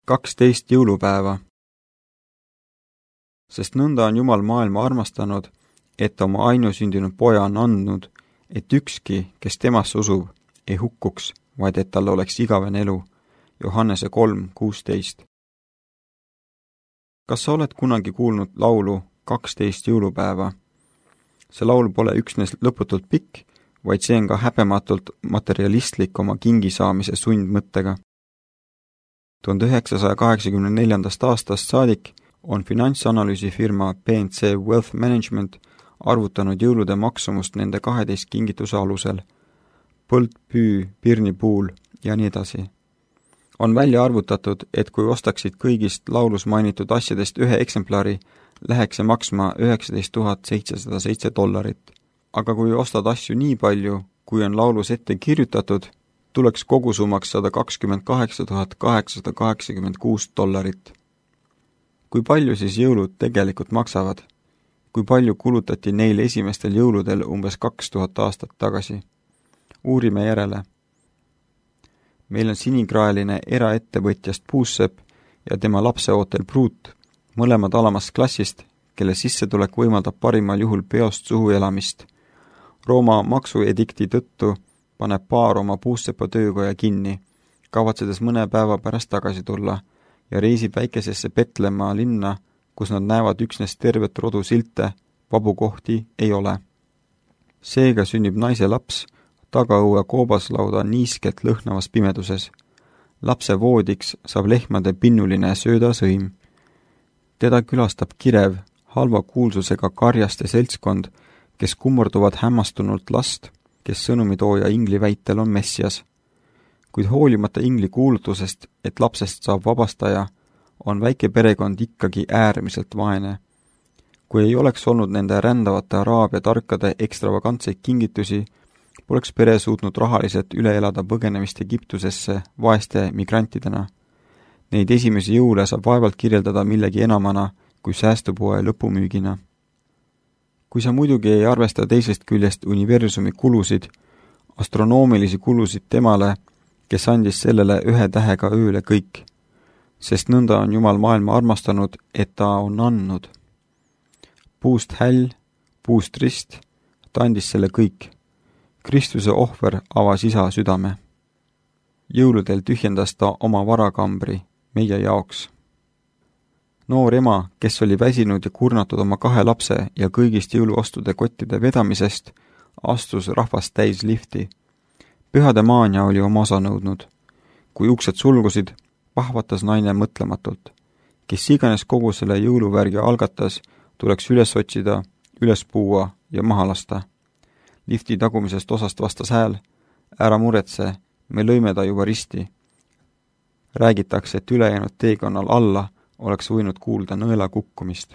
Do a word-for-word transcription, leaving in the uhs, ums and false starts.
kaksteist jõulupäeva. Sest nõnda on Jumal maailma armastanud, et oma ainusündinud poja on andnud, et ükski, kes temasse usub, ei hukkuks, vaid et tal oleks igavene elu. Johannese kolm kuusteist. Kas sa oled kunagi kuulnud laulu kaksteist jõulupäeva? See laul pole üksnes lõputult pikk, vaid see on ka häbematult materialistlik oma kingi saamise sundmõttega. tuhande üheksasaja kaheksakümne neljandast aastast saadik on finantsanalüüsifirma P and C Wealth Management arvutanud jõulude maksumust nende kaheteist kingituse alusel. Põld, püü, pirnipuul ja nii edasi. On välja arvutatud, et kui ostaksid kõigist laulus mainitud asjadest ühe eksemplari, läheks see maksma üheksateist tuhat seitsesada seitse dollarit. Aga kui ostad asju nii palju, kui on laulus ette kirjutatud, tuleks kogusummaks sada kakskümmend kaheksa tuhat kaheksasada kaheksakümmend kuus dollarit. Kui palju siis jõulud tegelikult maksavad? Kui palju kulutati neil esimestel jõuludel umbes kaks tuhat aastat tagasi? Uurime järele. Meil on sinikraeline eraettevõtjast Puussepp ja tema lapseootel Pruut, mõlemad alamast klassist, kelle sissetulek võimaldab parimal juhul peost suhu elamist. Rooma maksuedikti tõttu paneb paar oma Puussepa töökoja kinni, kavatsedes mõne päeva pärast tagasi tulla ja reisib väikesesse Petlemma linna, kus nad näevad üksnes tervet rodu silte, vabu kohti ei ole. Seega sünnib naise laps tagaõue koobaslauda niiskelt lõhnavas pimeduses. Lapse voodiks saab lehmade pinnuline söödasõim. Teda külastab kirev, halva kuulsusega karjaste seltskond, kes kummurduvad hämmastunult last, kes sõnumitooja ingli väitel on messias. Kuid hoolimata ingli kuulutusest, et lapsest saab vabastaja, on väike perekond ikkagi äärmiselt vaene. Kui ei oleks olnud nende rändavate araabia tarkade ekstravagantseid kingitusi, poleks pere suutnud rahaliselt üle elada põgenemist Egiptusesse vaeste migrantidena. Neid esimesi jõule saab vaevalt kirjeldada millegi enamana kui säästupoe lõpumüügina. Kui sa muidugi ei arvesta teisest küljest universumi kulusid, astronoomilisi kulusid temale, kes andis sellele ühe tähega ööle kõik, sest nõnda on Jumal maailma armastanud, et ta on andnud. Puust häll, puust rist, ta andis selle kõik. Kristuse ohver avas isa südame. Jõuludel tühjendas ta oma varakambri meie jaoks. Noor ema, kes oli väsinud ja kurnatud oma kahe lapse ja kõigist jõuluostude kottide vedamisest, astus rahvast täis lifti. Pühade maania oli oma osa nõudnud. Kui uksed sulgusid, pahvatas naine mõtlematult. Kes iganes kogu selle jõuluvärgi algatas, tuleks üles otsida, üles puua ja maha lasta. Lifti tagumisest osast vastas hääl, ära muretse, me lõime ta juba risti. Räägitakse, et ülejäänud teekonnal alla oleks võinud kuulda nõela kukkumist.